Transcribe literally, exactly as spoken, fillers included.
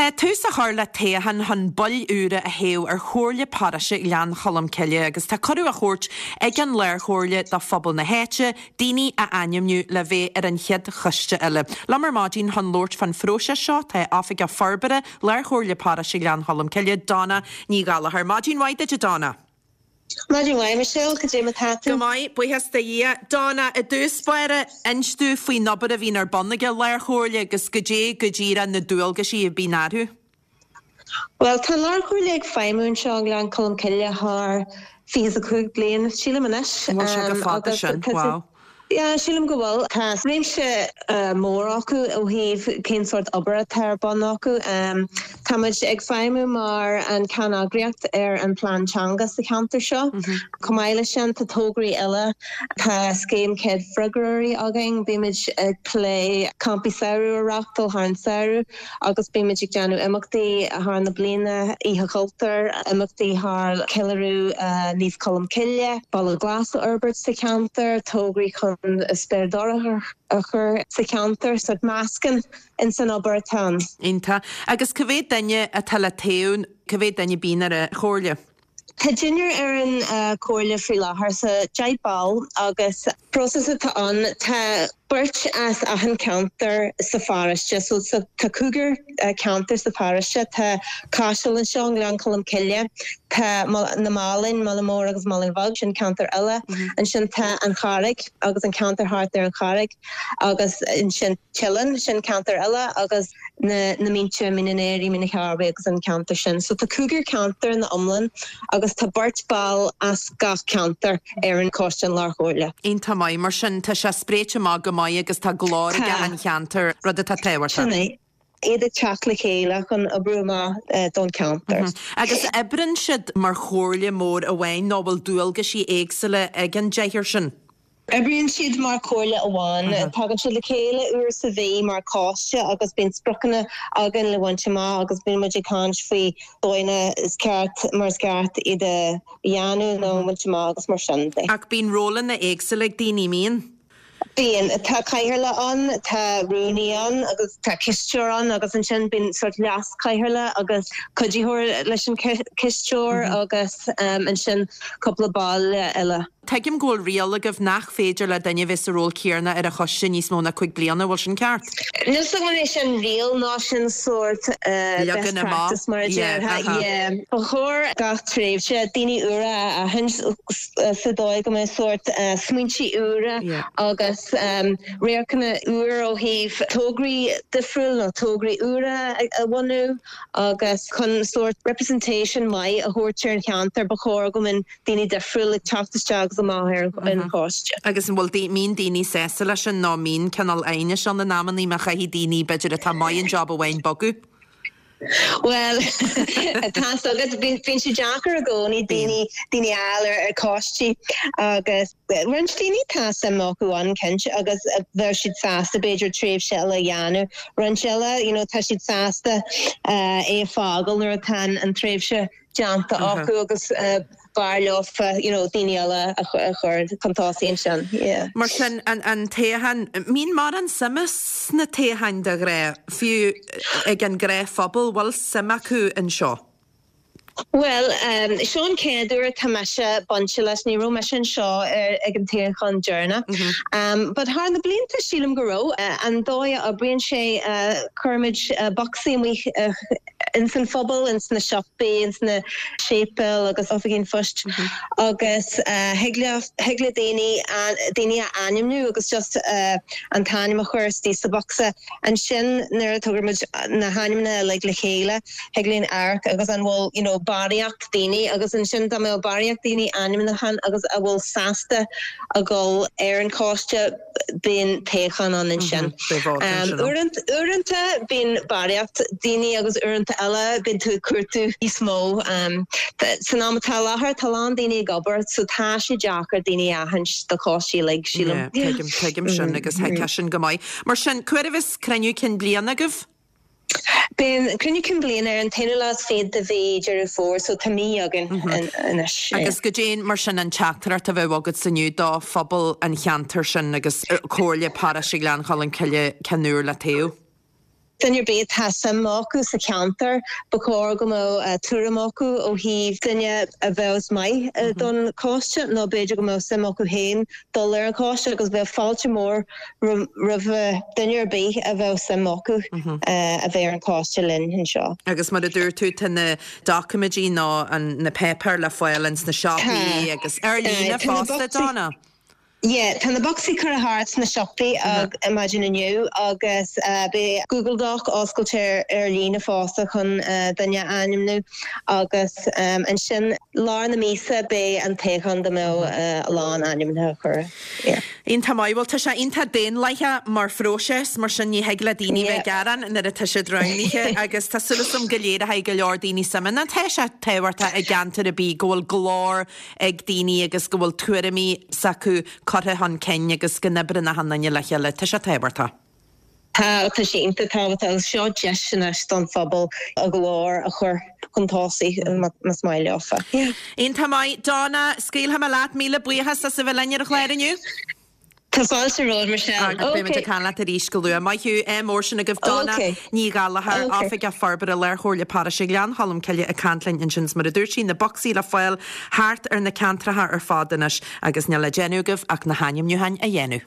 Tá tús á chur le toghchán chun baill úra a thoghadh ar Chomhairle Paróiste Ghleann Cholm Cille agus tá cuireadh á thabhairt ag an Lárchomhairle do phobal na háite daoine a ainmniú le bheith ar an chéad choiste eile. Liom ar maidin chun labhairt fán phróiseas seo tá Oifigeach Forbartha Lárchomhairle Paróiste Ghleann Cholm Cille Donna Ní Ghallchóir. Maidin mhaith duit a Donna. Maidin mhaith Michelle cad é mar atá tú. Go maith buíochas do Dhia. Donna i dtús báire inis dúinn faoin obair a bhíonn ar bun ag an Lárchomhairle agus goidé go díreach na dualgaisí a bhíonn orthu. Well tá Lárchomhairle ag feidhmiú anseo Gleann Cholm Cille thar fiche a cúig bliain sílim anois. Bhfuil sé go fada sin wow. Yeah, sílim go bhfuil tá réimse uh, mór acu ó thaobh cén sórt obair atá ar bun acu. Um, Tá muid ag feidhmiú mar an ceanneagraíocht ar an plean teanga sa cheantar seo. Mm -hmm. Chomh maith leis sin tá tograí eile tá scéim céad freagróirí againn, bímid ag plé campaí samhraidh a reáchtáil thar an samhradh agus bímid ag déanamh imeachtaí thar na bliana Oíche Chultúir, imeachtaí thar ceiliúradh uh, Naomh Colm Cille, Baile Glas a fhorbairt sa cheantar, tograí chun spéirdorcha a chur sa cheantar sa meascán in san obair atá. Iontach agus cá mhéad duine atá le toghadh cá mhéad duine a bhíonn ar an chomhairle. Tá deichniúr ar an uh, comhairle faoi láthair sa deich ball agus próiseas atá ann tá beirt as achan ceantar sa pharóiste so sa tá cúigear uh, ceantar sa pharóiste tá Caiseal anseo Gleann Cholm Cille tá na Málainn Mála Mór agus Málainn Bheag sin ceantar eile mm -hmm. ansin tá an Charraig agus an ceantar thart ar an Charraig agus ansin Teileann sin ceantar eile agus na na Mínte Mín an Aoraigh Mín an Chearbaigh agus an ceantar sin. So tá cúigear ceantar ina iomlán agus tá beirt ball as gach ceantar ar an choiste an Lárchomhairle. Iontach maith mar sin tá sé spréite amach go maith agus tá glór ag an cheantar rud atá tábhachtach. iad ag teacht le chéile chun oibriú amach eh, don cheantar. Mm -hmm. Agus oibríonn siad mar chomhairle mór amháin nó bhfuil dualgaisí éagsúla ag an deichniúr sin. Oibríonn siad mar chomhairle amháin tagann siad le chéile uair sa mhí mar choiste agus bíonn spriocanna againn le baint amach agus bíonn muid ag caint faoi dóigheanna is ceart mar is ceart iad a dhéanamh nó baint amach agus mar sin de. Ach bíonn rólanna éagsúla ag daoine mbíonn. Bíonn tá cathaoirleach ann tá rúnaí ann agus tá cisteoir ann agus ansin bíonn sórt leaschathaoirleach agus cuiditheoir leis an cisteoir mm -hmm. agus um, ansin cúpla ball eile. Tuigim go bhfuil riail agaibh nach féidir le duine bheith sa ról céanna ar an choiste níos mó ná cúig bliana bhfuil sin ceart. Níl sé sin riail ná sin sórt uh, practice mar Ba chóir gach tréimhse daoine úra a aithint sa dóigh go mbeidh sórt uh, smaointe úra agus um, radharcanna úr ó thaobh tograí difriúil nó tograí úra a bhunú agus chun sórt representation maith a thabhairt ar an cheantar ba chóir go mbeadh daoine difriúil ag teacht isteach amach ar an choiste. Agus an bhfuil mbíonn daoine sásta leis sin nó mbíonn cineál aighnis ann in amannaí má chaithfidh daoine b'fhéidir atá maith an job amháin bogadh. Well tá agus bíonn sé deacair i gcónaí daoine daoine eile ar ar choistí agus roinnt daoine tá suim acu ann cinnte agus bheadh siad sásta b'fhéidir tréimhse eile a dhéanamh. Roinnt eile you know, tá siad sásta uh, é a fhágáil nuair atá an tréimhse déanta acu agus uh, b'fhearr leofa you know, daoine eile a chur chun tosaigh sin. Yeah. Mar sin an, an toghchán mbíonn mórán suime sna toghcháin de ghnáth fiú ag an ngnáthphobal bhfuil suim acu anseo. Well, um, seo an chéad uair tá mise bainte leis ní raibh mise anseo ag an toghchán deireanach. Mm -hmm. um, but thar na blianta sílim go raibh uh, an dóigh a oibríonn sé uh, cuirimid uh, bocsaí amach uh, in san phobal in sna siopaí in sna séipéil agus oifigí an phoist mm -hmm. agus uh, thig le daoine daoine a ainmniú agus just uh, an t-ainm a chur isteach sa bhocsa ansin nuair a thugaimid na hainmneacha le le chéile thig linn amharc agus an bhfuil you know, barraíocht daoine agus ansin dá mbeadh barraíocht daoine ainmnithe agus a bhfuil sásta a dhul ar an choiste bíonn toghchán ann ansin. Uaireanta bíonn barraíocht daoine agus uaireanta eile bíonn tú ag cuartú níos mó. Um, san am atá láthair tá lán daoine ag obair so tá sé deacair daoine a aithint do choistí like sílim. Tuigim sin agus thuigfeá sin go maith. Mar sin cá huair a bheas cruinniú cinn bliana agaibh? Bíonn cruinniú cinn bliana ar an t-aonú lá is fiche de mhí Deireadh Fómhair so tá mí againn anois. Agus goidé mar sin an teachtaireacht a bheadh agat inniu do phobal an cheantair sin agus Comhairle Paróiste Ghleann Cholm Cille ceann úr le toghadh. Duine ar bith atá suim acu sa cheantar, ba chóir go mbeadh tuairim acu ó thaobh duine a bheadh maith don choiste nó b'fhéidir go mbeadh suim acu féin dul ar an choiste agus bheadh fáilte mór roimh duine ar bith a bheadh suim acu a bheith ar an choiste linn anseo. Agus mar a dúirt tú tá na doiciméidí nó na páipéir le fáil ins na siopaí agus ar líne fosta Donna. Yeah, tá na bocsaí curtha thart sna siopaí ag maidin inniu agus beidh Google Doc oscailte ar líne fosta chun duine a ainmniú agus ansin lár na míosa beidh an toghchán dá mbeadh a lán ainmnithe curtha. Yeah. Iontach maith, bhuel tá sé iontach daonlathach mar phróiseas mar sin ní thig le daoine bheith ag gearán nuair atá siad roghnaithe agus tá súil agam go léireoidh go leor daoine suim ann. Tá sé tábhachtach i gceantar ar bith go bhfuil glór ag daoine agus go bhfuil tuairimí s'acu curtha chun cinn agus go n-oibreann achan duine le chéile. Tá sé tábhachtach. Tá tá sé iontach tábhachtach agus seo deis anois don phobal a nglór a chur chun tosaigh más maith leofa. Iontach maith Donna scaoilfidh mé leat míle buíochas as a bheith linn ar an chlár inniu. Tá fáilte romhat Michelle. Agus beimid ag caint leat arís go luath. Maith thú ádh mór sin agaibh Donna Ní Ghallchóir Oifigeach Forbartha Lárchomhairle Paróiste Ghleann Cholm Cille ag caint linn ansin mar a dúirt sí na bocsaí le fáil thart ar na ceantracha ar fad anois agus níl le déanamh agaibh ach na hainmniúcháin a dhéanamh.